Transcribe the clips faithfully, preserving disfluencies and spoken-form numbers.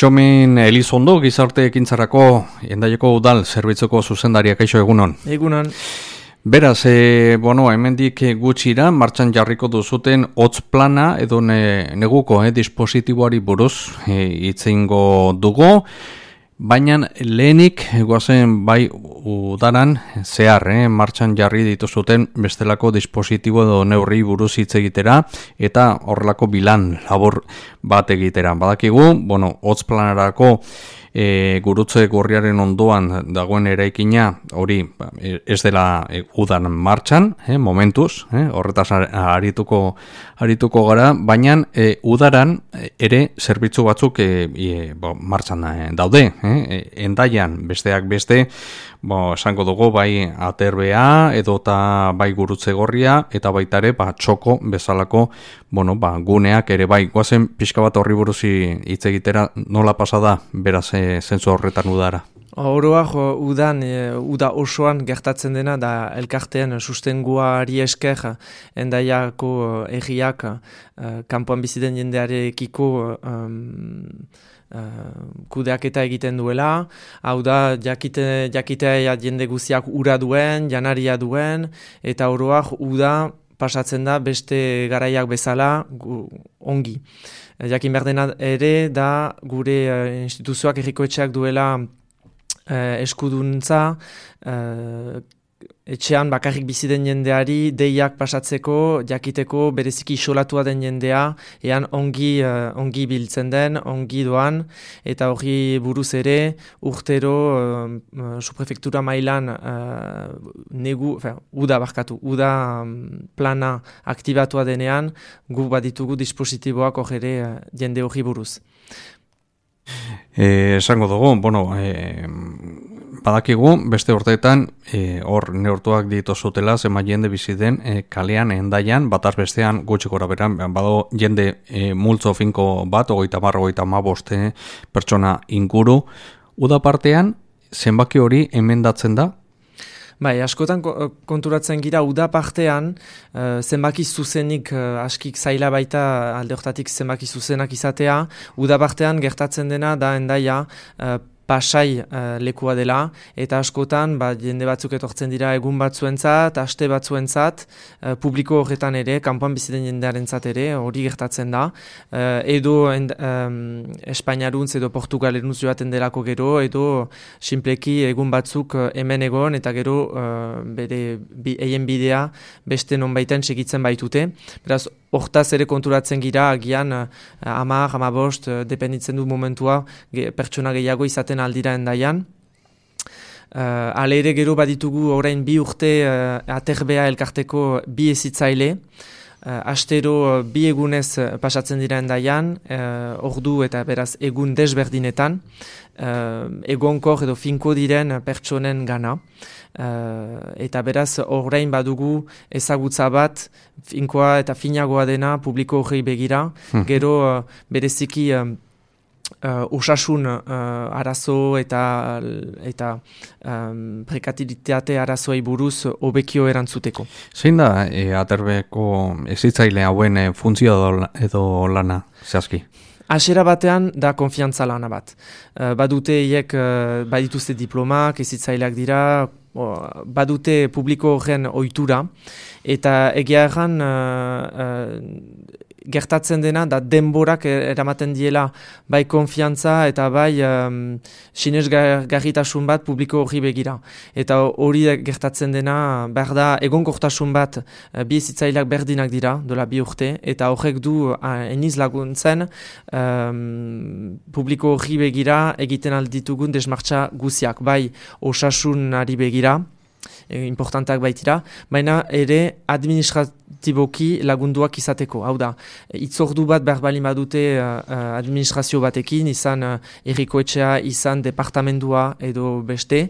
Txomin Elizondo, gizarte ekintzarako Hendaiako udal zerbitzuko zuzendariak, kaixo egunon. Egunon. Beraz, e, bueno, hemendik gutxira martxan jarriko duzuten hotz plana edo ne, neguko eh, dispositiboari buruz hitz e, eingo dugu, baina lehenik goazen bai udaran zehar eh, martxan jarri dituzuten bestelako dispositibo edo neurri buruz hitz egitera eta horrelako bilan labor bat egitera. Badakigu, bueno, hotz planarako E, gurutze gorriaren ondoan dagoen eraikina hori ez dela e, udan martxan, eh, momentuz, eh, horretaz arituko, arituko gara, baina e, udaran ere zerbitzu batzuk e, e, bo, martxan e, daude, eh, Hendaian besteak beste, bo, esango dugu bai aterbea edota bai gurutze gorria eta baita ere ba, txoko bezalako bueno, ba, guneak ere bai. Goazen pixka bat horri buruzi hitz egitera nola pasada beraz e, zentzu horretan udara. Oroa jo, udan, e, uda osoan gertatzen dena da elkartean sustenguari esker Hendaiako egiak e, kanpoan biziden jendearekiko um, Uh, kudeaketa egiten duela, hau da jakite, jakitea jende guziak ura duen, janaria duen, eta oroak uda pasatzen da beste garaiak bezala gu, ongi. Jakin behar dena ere da gure uh, instituzioak errikoetxeak duela uh, eskuduntza, uh, etxean bakarrik bizi den jendeari deiak pasatzeko, jakiteko bereziki isolatua den jendea, ean ongi, uh, ongi biltzen den, ongi doan, eta hori buruz ere urtero uh, subprefektura mailan uh, negu, fe, uda barkatu, uda um, plana aktibatua denean, gu baditugu dispositiboak hori ere uh, jende hori buruz. Eh, esango dugu, bueno, eh, badakigu, beste urteetan, hor e, neurtuak dituzutela, zema jende bizi den e, kalean, Hendaian, bataz bestean gutxi gora beran, bado jende e, multzo finko bat, ogeita marro, ogeita maboste pertsona inguru. Uda partean, zenbaki hori emendatzen da? Bai, askotan konturatzen gira, uda partean, uh, zenbaki zuzenik uh, askik zaila baita alde hortatik zenbaki zuzenak izatea, uda partean gertatzen dena da Hendaia uh, pasai uh, lekua dela, eta askotan ba, jende batzuk etortzen dira egun batzuentzat, aste batzuentzat, uh, publiko horretan ere, kanpoan biziten jendearentzat ere, hori gertatzen da, uh, edo end, um, Espainiaruntz edo Portugalerunz joaten delako gero, edo sinpleki egun batzuk uh, hemen egon, eta gero uh, bere bi, eien bidea beste nonbaiten segitzen baitute. Beraz, hortaz ere konturatzen gira, agian uh, amar, amabost, uh, dependitzen du momentua, ge, pertsona gehiago izaten aldira Hendaian. Uh, ale ere gero baditugu orain bi urte uh, aterbea elkarteko bi ezitzaile. Uh, astero uh, bi egunez uh, pasatzen dira Hendaian, uh, ordu eta beraz egun desberdinetan, uh, egonkor edo finko diren pertsonen gana. Uh, eta beraz orain badugu ezagutza bat, finkoa eta finagoa dena publiko hori begira, hmm. gero uh, bereziki uh, Uh, osasun uh, arazo eta eta um, prekaritate arazoei buruz hobekio erantzuteko. Zein da e, aterbeko ezitzaile hauen e, funtzio edo lana zehazki? Hasiera batean da konfiantza lana bat. Uh, badute hiek uh, badituzte diplomak, ezitzaileak dira, o, badute publiko horren ohitura, eta egia erran uh, uh, gertatzen dena da denborak eramaten diela bai konfiantza eta bai um, sinesgarritasun bat publiko hori begira. Eta hori gertatzen dena behar da egonkortasun bat uh, bi ezitzaileak berdinak dira, dola bi urte, eta horrek du uh, eniz laguntzen um, publiko hori begira egiten alditugun desmartxa guziak, bai osasunari begira, importanteak baitira, baina ere administratiboki lagunduak izateko. Hau da, itzordu bat behar bali badute uh, administrazio batekin, izan uh, errikoetxea, izan departamendua edo beste,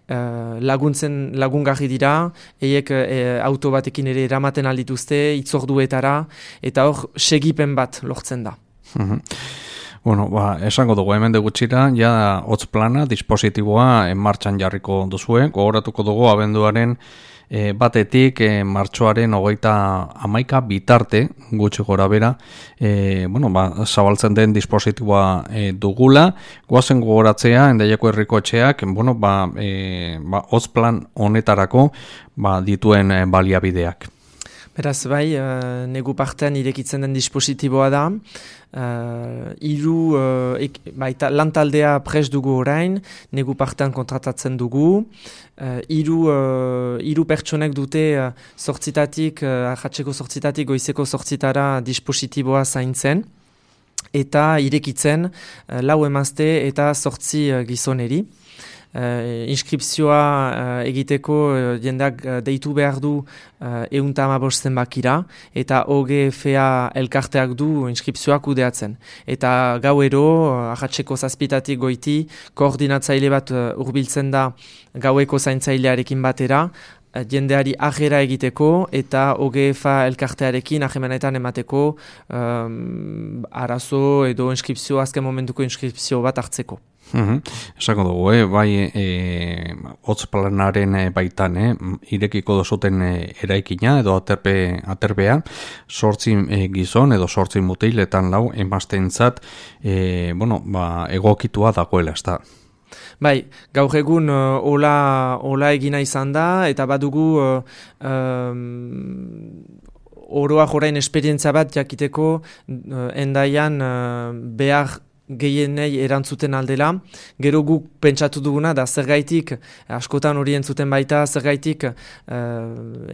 uh, laguntzen lagungarri dira, eiek uh, auto batekin ere eramaten aldituzte, itzorduetara, eta hor segipen bat lortzen da. Mhm. Bueno, ba, esango dugu hemen gutxira, ja hotz plana, dispositiboa en martxan jarriko duzue, gogoratuko dugu abenduaren E, batetik, e, martxoaren hogeita hamaika bitarte, gutxi gora bera, e, bueno, ba, zabaltzen den dispositiboa e, dugula, goazen gogoratzea, Hendaiako herriko etxeak, bueno, ba, e, ba, hotz-plan honetarako ba, dituen e, baliabideak. Beraz, bai, uh, negu partean irekitzen den dispositiboa da, uh, iru, uh, ek, baita, lantaldea prest dugu orain, negu partean kontratatzen dugu, uh, iru, uh, iru pertsonek dute uh, sortzitatik, uh, ahatzeko sortzitatik, goizeko sortzitara dispositiboa zaintzen, eta irekitzen uh, lau emazte eta sortzi uh, gizoneri. Uh, inskripzioa uh, egiteko uh, jendeak uh, deitu behar du uh, eunta hamabost zenbakira eta O G F A elkarteak du inskripzioa kudeatzen. Eta gauero, uh, ahatzeko zazpitatik goiti, koordinatzaile bat uh, hurbiltzen da gaueko zaintzailearekin batera, uh, jendeari ajera egiteko eta O G F A elkartearekin ahemanetan emateko um, arazo edo inskripzio, azken momentuko inskripzio bat hartzeko. Uhum. Esako dugu, eh? bai e, hotz-planaren e, baitan, eh? irekiko dozuten e, eraikina edo aterpe, aterbea, sortzi e, gizon edo sortzi mutiletan lau emaztentzat e, bueno, ba, egokitua dagoela, ez da. Bai, gaur egun uh, ola, ola egina izan da, eta badugu uh, um, oroak orain esperientzia bat jakiteko uh, Hendaian uh, behar gehienei erantzuten aldela. Gero guk pentsatu duguna da zergaitik, askotan hori entzuten baita, zergaitik uh,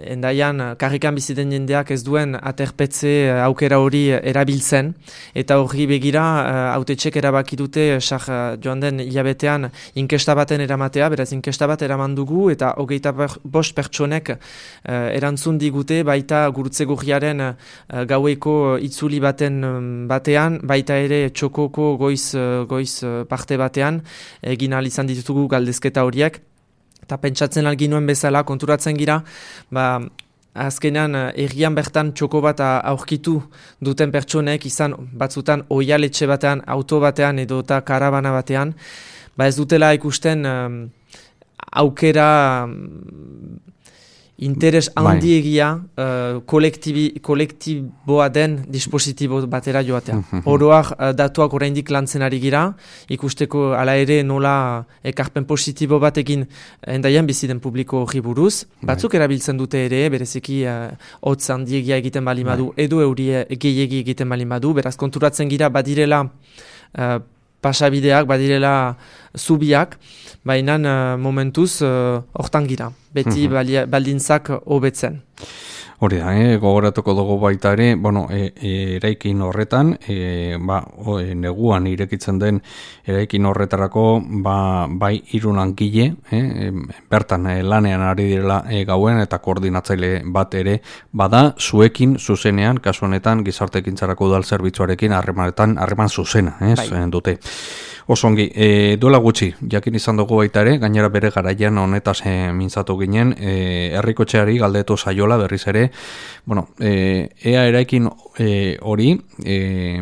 Hendaian karrikan biziten jendeak ez duen aterpetze aukera hori erabiltzen, eta hori begira uh, autetxek erabaki dute sar joan den hilabetean inkesta baten eramatea, beraz inkesta bat eraman dugu, eta hogeita bost pertsonek uh, erantzun digute baita gurutze gurriaren uh, gaueko itzuli baten um, batean, baita ere txokoko goiz, goiz parte batean egin ahal izan ditugu galdezketa horiek, eta pentsatzen alginuen bezala konturatzen gira, ba, azkenean errian bertan txoko bat aurkitu duten pertsonek izan batzutan oialetxe batean, auto batean edo eta karabana batean, ba ez dutela ikusten um, aukera um, interes handiegia uh, kolektiboa den dispositibo batera joatea. Oroak uh, datuak oraindik lantzen ari gira, ikusteko ala ere nola ekarpen positibo batekin Hendaian bizi den publiko hori buruz. Batzuk erabiltzen dute ere, bereziki uh, hotz handiegia egiten bali madu, edo euri gehiegi egiten bali madu, beraz konturatzen gira badirela uh, pasabideak, badirela zubiak, baina uh, momentuz hortan uh, gira, beti mm-hmm. baldintzak hobetzen. Hori da, eh? gogoratuko dugu baita ere, bueno, e, e, eraikin horretan, e, ba, o, e, neguan irekitzen den eraikin horretarako, ba, bai hiru langile, eh? bertan e, lanean ari direla e, gauen eta koordinatzaile bat ere, bada zuekin zuzenean, kasu honetan gizarteekintzarako udal zerbitzuarekin harremanetan harreman zuzena, eh? bai. dute. Osongi, e, duela gutxi, jakin izan dugu baita ere, gainera bere garaian honetaz e, mintzatu ginen, e, herrikotxeari galdetu saiola berriz ere, bueno, e, ea eraikin e, hori, e,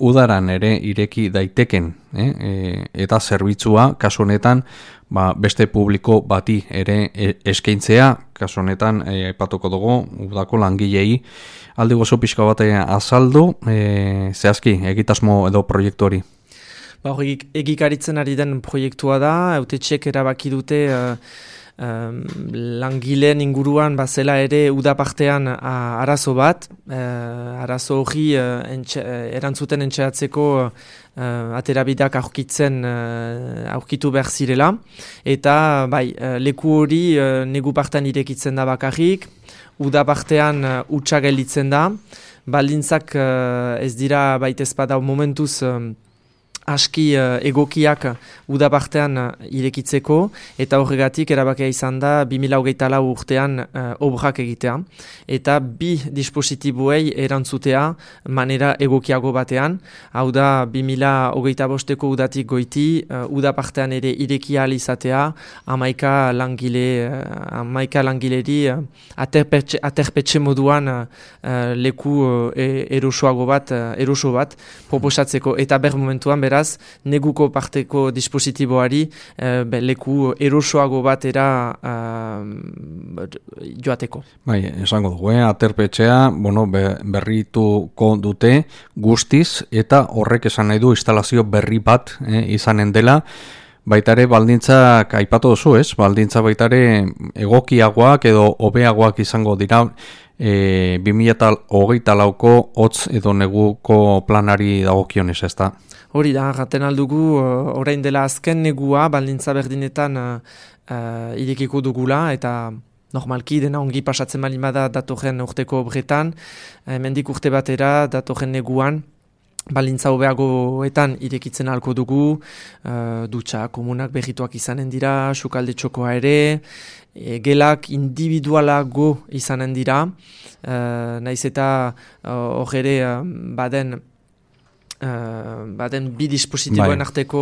udaran ere ireki daiteken, eh? e, eta zerbitzua, kasu honetan, ba, beste publiko bati ere e, eskaintzea, kasu honetan, aipatuko dugu, udako langilei, aldi gozo pixka bat azaldu, e, zehazki, egitasmo edo proiektu hori. Ba, egikaritzen ari den proiektua da, autetxek erabaki dute uh, um, langileen inguruan bazela ere udapartean uh, arazo bat, uh, arazo hori uh, entxe, uh, erantzuten entxeatzeko uh, aterabideak aurkitzen uh, aurkitu behar zirela, eta bai, uh, leku hori uh, negu partean irekitzen da bakarrik, udapartean uh, utxa gelditzen da, baldintzak uh, ez dira baitezpada momentuz uh, aski uh, egokiak udapartean uh, irekitzeko, eta horregatik erabakia izan da bi mila hogeita lau urtean uh, obrak egitea, eta bi dispositiboei erantzutea manera egokiago batean, hau da bi mila hogeita bosteko udatik goiti, uh, udapartean ere irekia izatea, amaika langile, uh, amaika langileri uh, aterpetxe, aterpetxe moduan uh, leku uh, erosoago bat, uh, eroso bat proposatzeko, eta ber momentuan beraz beraz, neguko parteko dispositiboari uh, be, leku erosoago batera uh, joateko. Bai, esango dugu, eh? Aterpetxea, bueno, be, berrituko dute guztiz, eta horrek esan nahi du instalazio berri bat eh, izanen dela. Baitare baldintzak aipatu duzu, ez? Baldintza baitare egokiagoak edo hobeagoak izango dira e, bi mila hogeita lauko hotz edo neguko planari dagokionez, ez da? Hori da, gaten aldugu, orain dela azken negua baldintza berdinetan uh, uh, irekiko dugula, eta normalki dena ongi pasatzen bali bada datorren urteko obretan, hemendik urte batera datorren neguan, balintza hobeagoetan irekitzen ahalko dugu, uh, dutxa komunak berrituak izanen dira, sukalde txokoa ere, e, gelak individualago izanen dira, uh, naiz eta hor uh, ere uh, baden Uh, baden bi dispositiboen bai. Arteko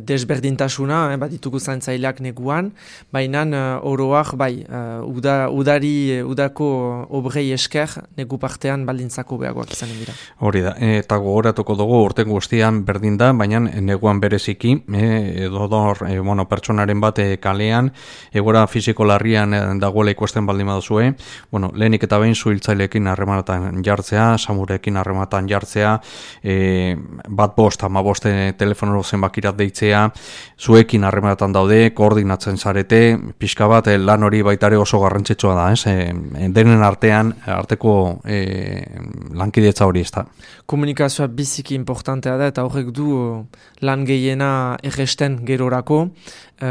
desberdintasuna, eh, baditugu zaintzaileak neguan, baina uh, oroak bai, uh, uda, udari, udako obrei esker negu partean baldintzako beagoak izanen dira. Hori da, eta gogoratuko dugu urten guztian berdin da, baina neguan bereziki, eh, edo dor, eh, bueno, pertsonaren bat eh, kalean, egora fisiko larrian eh, dagoela ikusten baldin baduzue, bueno, lehenik eta behin zuhiltzaileekin harremanatan jartzea, samurekin harremanatan jartzea, eh, bat bost, ama boste telefono zenbakirat deitzea, zuekin harremanatan daude, koordinatzen zarete, pixka bat lan hori baitare oso garrantzitsua da, ez? E, denen artean, arteko e, lankidetza hori ez da. Komunikazioa biziki importantea da, eta horrek du lan gehiena erresten gerorako, e,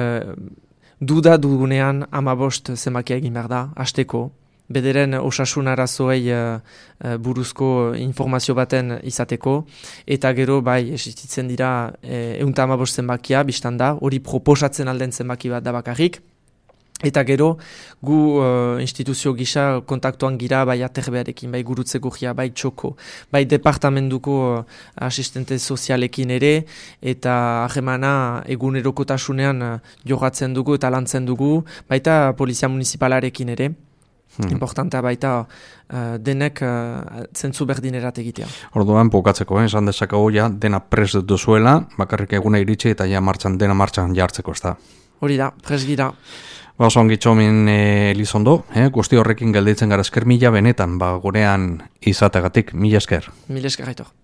duda dugunean ama bost zenbakia egin behar da, hasteko, bederen osasun arazoei uh, uh, buruzko informazio baten izateko, eta gero bai existitzen dira eh, ehunta hamabost zenbakia, biztan da, hori proposatzen alden zenbaki bat da bakarrik, eta gero gu uh, instituzio gisa kontaktuan gira bai aterbearekin, bai gurutzeko gia, bai txoko, bai departamentuko uh, asistente sozialekin ere, eta ahemana egunerokotasunean uh, jogatzen dugu eta lantzen dugu, baita polizia municipalarekin ere. Hmm. Importantea baita uh, denek uh, zentzu berdinerat egitea. Orduan, bukatzeko, eh? Esan dezakegu ja dena prest duzuela, bakarrik eguna iritsi eta ja martxan, dena martxan jartzeko ez da. Hori da, prest gira. Ba, oso ongi txomin e, Elizondo, eh? Guzti horrekin gelditzen gara esker mila benetan, ba, gurean izategatik, mila esker. Mila esker, Aitor.